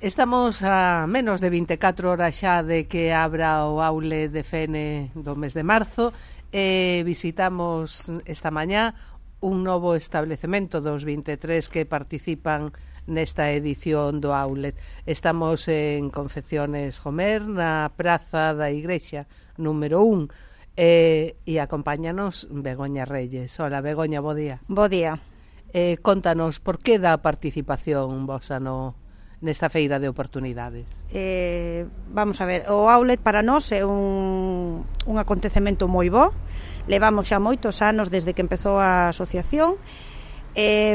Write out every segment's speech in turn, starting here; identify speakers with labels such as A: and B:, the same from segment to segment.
A: Estamos a menos de 24 horas xa de que abra o aule de Fene do mes de marzo e visitamos esta mañá un novo establecemento dos 23 que participan nesta edición do Outlet. Estamos en Confecciones Homer, na Praza da Igrexa, número 1, e acompáñanos Begoña Reyes. Hola, Begoña, bo día.
B: Bo día.
A: Contanos, por que da participación vosa nesta feira de oportunidades?
B: Vamos a ver, o Outlet para nós é un acontecemento moi bo. Levamos xa moitos anos desde que empezou a asociación.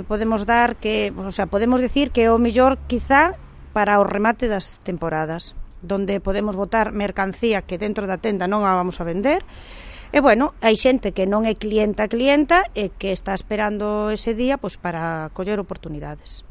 B: Podemos decir que é o mellor quizá para o remate das temporadas, donde podemos botar mercancía que dentro da tenda non a vamos a vender. E bueno, hai xente que non é clienta e que está esperando ese día pois para coller oportunidades.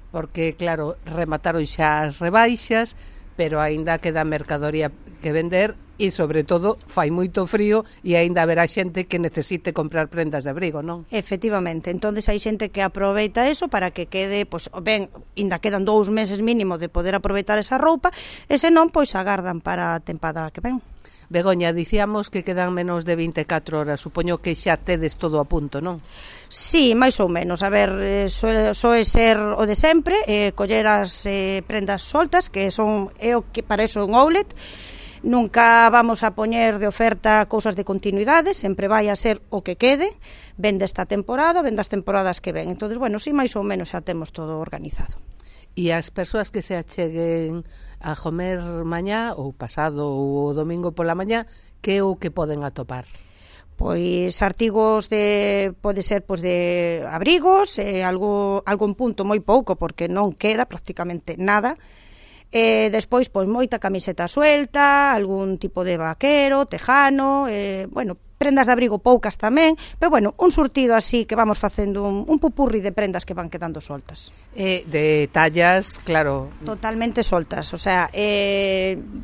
A: Porque, claro, remataron xa as rebaixas, pero aínda queda mercadoría que vender e, sobre todo, fai moito frío e aínda haberá xente que necesite comprar prendas de abrigo, non?
B: Efectivamente, entonces hai xente que aproveita eso para que quede, pois, ben, ainda quedan 2 meses mínimo de poder aproveitar esa roupa, e senón, pois, agardan para a tempada que ven.
A: Begoña, dicíamos que quedan menos de 24 horas. Supoño que xa tedes todo a punto, non?
B: Sí, máis ou menos. A ver, soe ser o de sempre, coller as prendas soltas, que é o que para eso un outlet. Nunca vamos a poñer de oferta cousas de continuidade, sempre vai a ser o que quede, vende esta temporada, vende as temporadas que ven. Entonces, bueno, sí, máis ou menos xa temos todo organizado.
A: E as persoas que se acheguen a Homer mañá, ou pasado, ou domingo pola mañá, que é o que poden atopar?
B: Pois artigos pode ser pois de abrigos, algún punto moi pouco, porque non queda prácticamente nada. Despois, pois moita camiseta suelta, algún tipo de vaquero, tejano, bueno, prendas de abrigo poucas tamén, pero bueno, un surtido así que vamos facendo un pupurri de prendas que van quedando soltas.
A: De tallas, claro.
B: Totalmente soltas, o sea,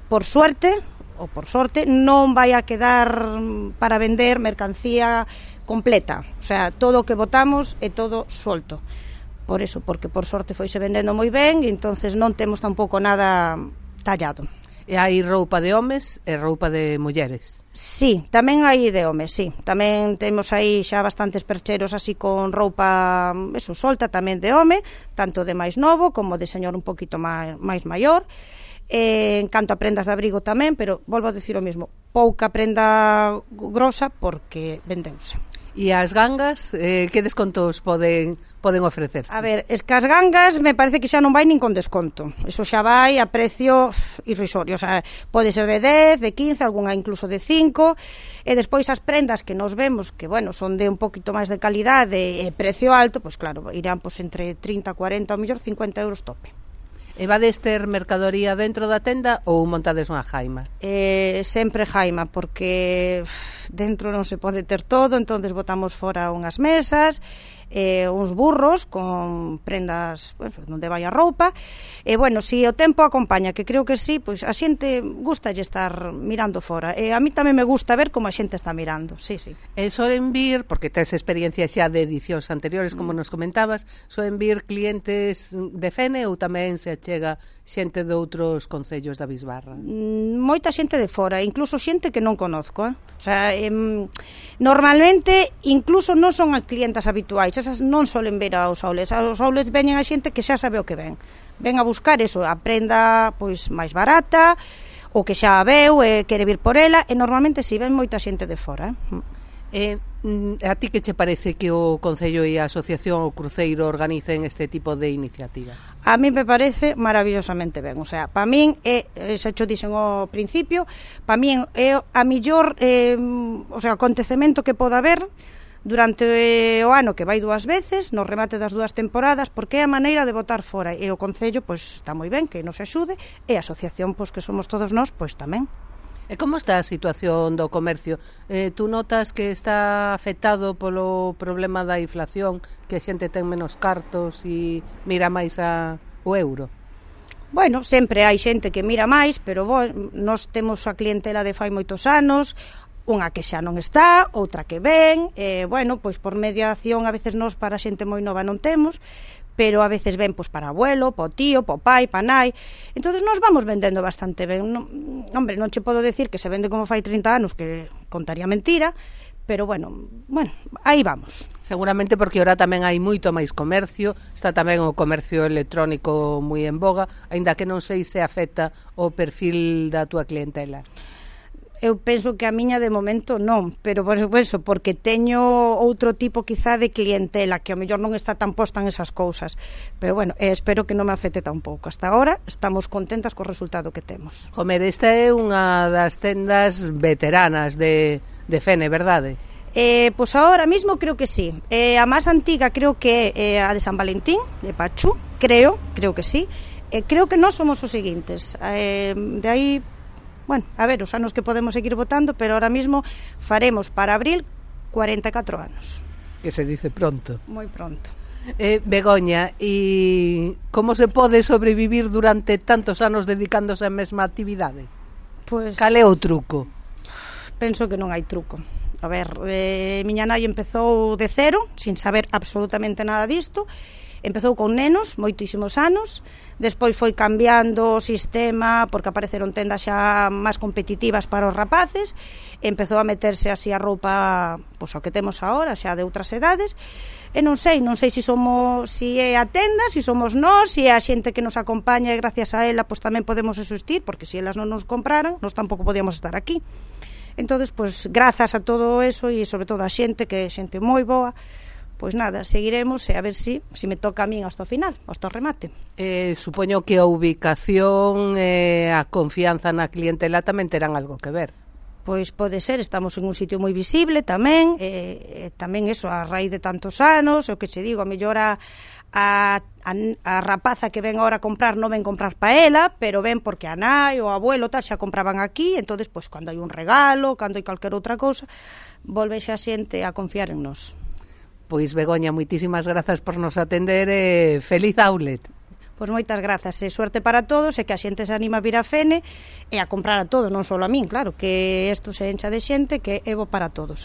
B: por suerte, ou por sorte, non vai a quedar para vender mercancía completa, o sea, todo o que botamos é todo solto. Por eso, porque por sorte foise vendendo moi ben e entonces non temos tampouco nada tallado.
A: E hai roupa de homes e roupa de mulleres?
B: Sí, tamén hai de homes, sí. Tamén temos aí xa bastantes percheros así con roupa solta tamén de home, tanto de máis novo como de señor un poquito máis maior. En canto a prendas de abrigo tamén, pero volvo a decir o mesmo, pouca prenda grosa porque vendeuse.
A: E as gangas, que descontos poden ofrecerse?
B: A ver, es que as gangas me parece que xa non vai nin con desconto. Eso xa vai a precio irrisorio. O sea, pode ser de 10, de 15, algunha incluso de 5. E despois as prendas que nos vemos, que, bueno, son de un poquito máis de calidade e precio alto, pois claro, irán pois entre 30, 40, ou mellor 50 euros tope.
A: E vades ter mercadoría dentro da tenda ou montades unha jaima?
B: Sempre jaima, porque dentro non se pode ter todo, entonces botamos fora unhas mesas, uns burros con prendas, bueno, onde vai a roupa, e bueno, se o tempo acompaña, que creo que sí, pois a xente gustalle estar mirando fora, e a mí tamén me gusta ver como a xente está mirando, sí.
A: E soen vir, porque tes experiencia xa de edicións anteriores, como nos comentabas, soen vir clientes de Fene ou tamén se achega xente de outros concellos da Bisbarra?
B: Moita xente de fora, incluso xente que non conozco, O sea, normalmente incluso non son as clientas habituais, esas non solen ver aos outlets. Aos outlets veñen a xente que xa sabe o que ven a buscar eso, a prenda pois máis barata, o que xa a veu e quere vir por ela, e normalmente si ven moita xente de fora.
A: A ti que che parece que o Concello e a Asociación o Cruceiro organicen este tipo de iniciativas?
B: A mí me parece maravillosamente ben, o sea, para min xa cho dixen ao principio, para min é a mellor acontecemento que poda haber durante o ano, que vai 2 veces no remate das 2 temporadas, porque é a maneira de botar fora, e o Concello pois está moi ben que nos axude, e a asociación pois que somos todos nós, pois tamén.
A: E como está a situación do comercio? Tú notas que está afectado polo problema da inflación, que a xente ten menos cartos e mira máis o euro?
B: Bueno, sempre hai xente que mira máis, pero nós temos a clientela de fai moitos anos, unha que xa non está, outra que ven, bueno, pois por mediación a veces nós para xente moi nova non temos, pero a veces ven pois para o abuelo, para o tío, para o pai, para a nai. Entonces nos vamos vendendo bastante ben. Hombre, non che podo decir que se vende como fai 30 anos, que contaría mentira, pero bueno, aí vamos.
A: Seguramente porque ahora tamén hai moito máis comercio, está tamén o comercio electrónico moi en boga, aínda que non sei se afecta o perfil da túa clientela.
B: Eu penso que a miña de momento non, pero por eso, porque teño outro tipo quizá de clientela que ao mellor non está tan posta en esas cousas, pero bueno, espero que non me afecte tampouco. Hasta agora estamos contentas co resultado que temos.
A: Jomer, esta é unha das tendas veteranas de Fene, verdade?
B: Pois agora mismo creo que sí. A máis antiga creo que é a de San Valentín, de Pachú, creo que sí. Creo que nós somos os seguintes. De aí, bueno, a ver, os anos que podemos seguir votando, pero ahora mismo faremos para abril 44 anos.
A: Que se dice pronto.
B: Moi pronto.
A: Begoña, e como se pode sobrevivir durante tantos anos dedicándose á mesma actividade?
B: Pois,
A: cal é o truco?
B: Penso que non hai truco. A ver, miña nai empezou de cero, sin saber absolutamente nada disto. Empezou con nenos, moitísimos anos, despois foi cambiando o sistema porque apareceron tendas xa máis competitivas para os rapaces, empezou a meterse así a roupa, pois ao que temos agora, xa de outras edades, e non sei se é a tenda, se somos nós, se é a xente que nos acompaña e gracias a ela pois tamén podemos existir, porque se elas non nos compraran, nós tampouco podíamos estar aquí. Entonces, pois, grazas a todo eso e sobre todo a xente, que é xente moi boa, pois nada, seguiremos e a ver se me toca a min hasta o final, hasta o remate.
A: Supoño que a ubicación e a confianza na clientela tamén terán algo que ver.
B: Pois pode ser, estamos en un sitio moi visible tamén, tamén eso, a raíz de tantos anos, o que che digo, a mellor a rapaza que ven agora a comprar non ven comprar pa ela, pero ven porque a nai ou a abuelo tal xa compraban aquí, entonces pois cando hai un regalo, cando hai calquer outra cousa, volve xa xente a confiar en nós.
A: Pois Begoña, moitísimas grazas por nos atender e feliz outlet.
B: Pois moitas grazas e suerte para todos e que a xente se anima a vir a Fene e a comprar a todos, non só a min, claro, que isto se encha de xente que é bo para todos,